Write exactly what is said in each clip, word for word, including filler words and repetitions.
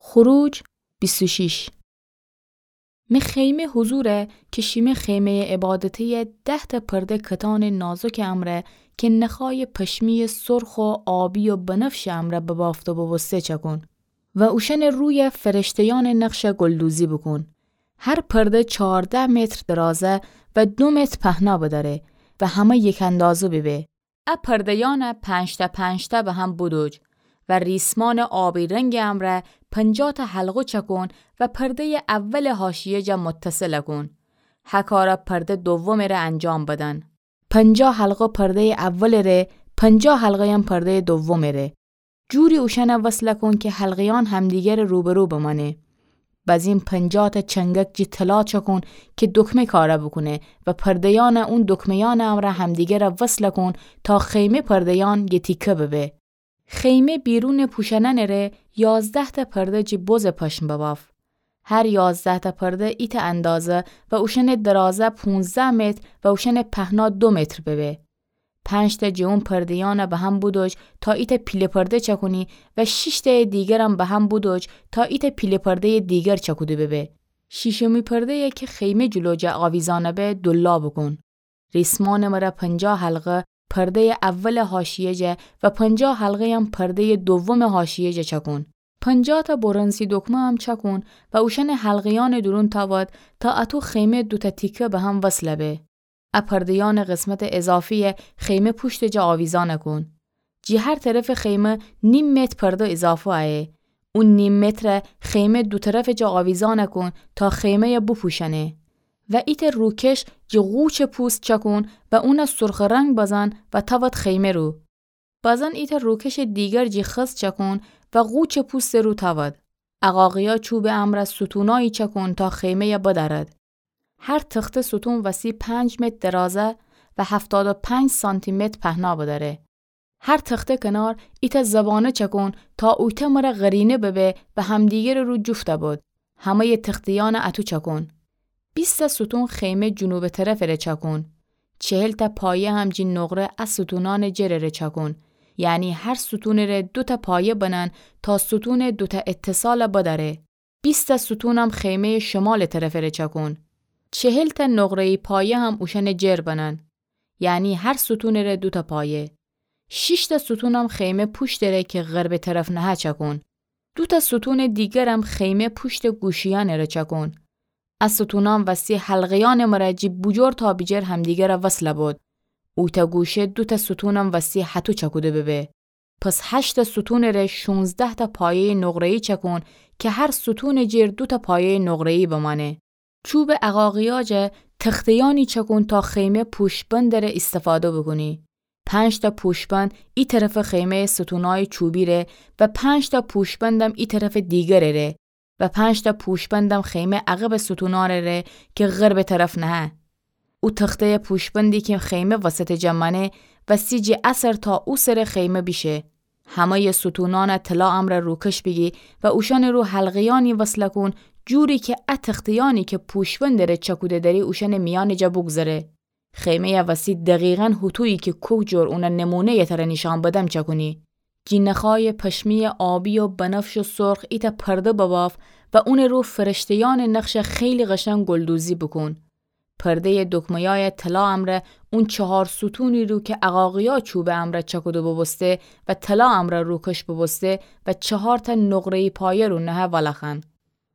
خروج بیست و شش. می خیمه حضوره که شیمی خیمهٔ عبادتی‌یه ده‌تأ پرده کتانٚ نازکٚ امرأ که نخایٚ پشمی‌یٚ سرخ و آبی و بنفشٚ امرأ ببافته بوبوسته چأکون و اوشأنٚ رویه فرشته‌یأنٚ نقشه گلدوزی بوکون. هر پرده چهارده متر درازه و دو متر پهنا بدأره و همه یک اندازه ببه. ا پرده‌یأنه پنج‌تأ پنج‌تأ به هم بودوج و ریسمانٚ آبی رنگٚ امرأ پنجاه‌تأ حلقه چأکون و پرده‌یٚ اولٚ حاشیه جا متصل کون. هکاره پرده دومٚ ره انجام بدن. پنجاه حلقه پرده‌یٚ اولٚ ره، پنجاه حلقه‌یم پرده‌یٚ دومٚ ره. جوری اوشأنه وصل کون که حلقه‌یأن همدیگرٚ روبرو بمأنه. بزین پنجاه‌تأ چنگک جی طلا چأکون که دکمه کاره بوکونه و پرده‌یأنه اون دکمه‌یأنٚ امرأ همدیگره وصل کون تا خیمه پرده‌یأن یه تیکه ببه. خیمه بیرونٚ پوشأنأنٚ ره یازده‌تأ پرده جی بزٚ پشم بباف. هر یازده‌تأ پرده ایتأ اندازه و اوشأنٚ درازه پونزده متر و اوشأنٚ پهنا دو متر ببه. پنج‌تأ جٚه اون پرده‌یأنه به هم بودوج تا ایتأ پیله پرده چأکونی و شیش‌تأیٚ دیگرم به هم بودوج تا ایتأ پیله پرده‌یٚ دیگر چأکوده ببه. شیشمی پرده‌یه که خیمه جلو جا آویزأنه به دولا بوکون. ریسمانٚ مره پنجاه حلقه پرده‌یٚ اولٚ حاشیه جا و پنجاه حلقه‌یم پرده‌یٚ دومٚ حاشیه جا چأکون. پنجاه‌تأ برنزی دکمه‌م چأکون و اوشأنٚ حلقه‌یأنٚ دورون تأود تا اطو خیمه دوتأ تیکه به هم وصل به. ا پرده‌یأنٚ قسمتٚ اضافی‌یه خیمه پوشتٚ جا آویزأن کون. جٚه هر طرفٚ خیمه نیم متر پرده اضافه ایه. او نیم متره خیمه دو طرفٚ جا آویزأن کون تا خیمه‌یه بوپوشأنه. و ایتأ روکش جٚه قوچٚ پوست چأکون و اونه سرخٚ رنگ بزن و تأود خیمه رو. بزن ایتأ روکشٚ دیگر جٚه خز چأکون و قوچٚ پوستٚ رو تأود. عقاقیا چوبٚ امرأ ستونایی چأکون تا خیمه‌یه بدأرد. هر تخته ستون وستی پنج متر درازه و هفتاد و پنج سانتی‌متر پهنا بدأره. هر تخته کنار ایتأ زبانه چأکون تا اویتأ مره قرینه ببه و همدیگرٚ رو جفت بد. همه‌یٚ تخته‌یأنه اطو چأکون. بیست‌تأ ستون خیمه جنوبٚ طرفٚ ره چأکون. چهل‌تأ پایه هم جٚه نقره ا ستونأنٚ جرٚ ره چأکون. یعنی هر ستونٚ ره دوتأ پایه بنن تا ستونٚ دوتأ اتصاله بدأره. بیست‌تأ ستونم خیمه‌یٚ شمالٚ طرفٚ ره چأکون. چهل‌تأ نقره‌یی پایه هم اوشأنٚ جر بنن. یعنی هر ستونٚ ره دوتأ پایه. شیش‌تأ ستونم خیمه پوشتٚ ره که غربٚ طرف نهه چأکون. دوتأ ستونٚ دیگرم خیمه پوشتٚ گوشه‌یأنٚ ره چأکون. ا ستونأن وستی حلقه‌یأنٚ مره جٚه بوجور تا بیجر همدیگره وصل بد. اویتأ گوشه دوتأ ستونم وستی هطو چأکوده ببه. پس هشت‌تأ ستونٚ ره شونزده‌تأ پایه‌یٚ نقره‌یی چأکون که هر ستونٚ جر دوتأ پایه‌یٚ نقره‌یی بمأنه. چوبٚ عقاقیا جا تخته‌یأنی چأکون تا خیمه پوشت‌بندٚ ره ایستفاده بوکونی. پنج‌تأ پوشت‌بند ای طرفٚ خیمه‌یٚ ستونأیٚ چوبی ره و پنج‌تأ پوشت‌بندم ای طرفٚ دیگرٚ ره و پنج‌تأ پوشت‌بندم خیمه عقبٚ ستونأنٚ ره که غربٚ طرف نهه. او تخته‌یٚ پوشت‌بندی که خیمه وسطٚ جا مأنه وستی جٚه ا سر تا او سرٚ خیمه بیشه. همه‌یٚ ستونأنه طلا امرأ روکش بیگی و اوشأنٚ رو حلقه‌یأنی وصل کون، جوری که ا تخته‌یأنی که پوشت‌بندٚ ره چأکوده دأری اوشأنٚ میأنٚ جا بوگذره. خیمه‌یه وستی دقیقاً هوطویی که کوک جور اونه نمونه‌یٚ تره نیشأن بدم چأکونی. جٚه نخایٚ پشمی‌یٚ آبی و بنفش و سرخ ایتأ پرده بباف و اونٚ رو فرشته‌یأنٚ نقشه خیلی قشنگ گلدوزی بوکون. پرده‌یٚ دکمه‌یأیٚ طلا امرأ اون چهار ستونی رو که عقاقیا چوبٚ امرأ چأکوده بوبوسته و طلا امرأ روکش بوبوسته و چهار‌تأ نقره‌یی پایه رو نهه ولأخوأن.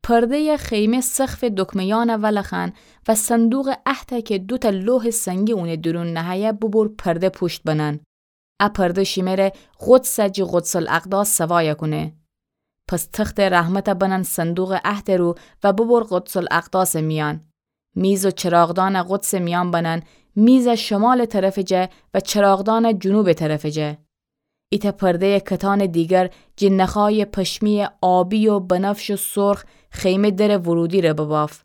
پرده‌یٚ خیمه سقفٚ دکمه‌یأنه ولأخوأن و صندوقٚ عهده که دوتأ لوحٚ سنگی اونٚ دورون نهه‌یه ببر پرده پوشت بنن. ا پرده شیمه ره قدسه جٚه قدس‌الاقداس سوایه کونه. پس تختٚ رحمته بنن صندوقٚ عهدٚ رو و ببر قدس‌الاقداسٚ میأن. میز و چراغدانه قدسٚ میأن بنن، میزه شمالٚ طرفٚ جا و چراغدانه جنوبٚ طرفٚ جا. ایتأ پرده‌یٚ کتانٚ دیگر جٚه نخایٚ پشمی‌یٚ آبی و بنفش و سرخ خیمه درٚ ورودی ره بباف.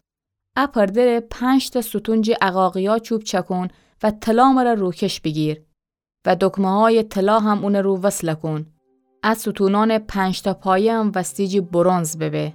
ا پرده ره پنج‌تأ ستون جٚه عقاقیا چوب چأکون و طلا مره روکش بیگیر. و دکمه‌هایٚ طلا هم اونٚ رو وصل کون. ا ستونأنٚ پنج‌تأ پایه هم وستی جٚه برنز ببه.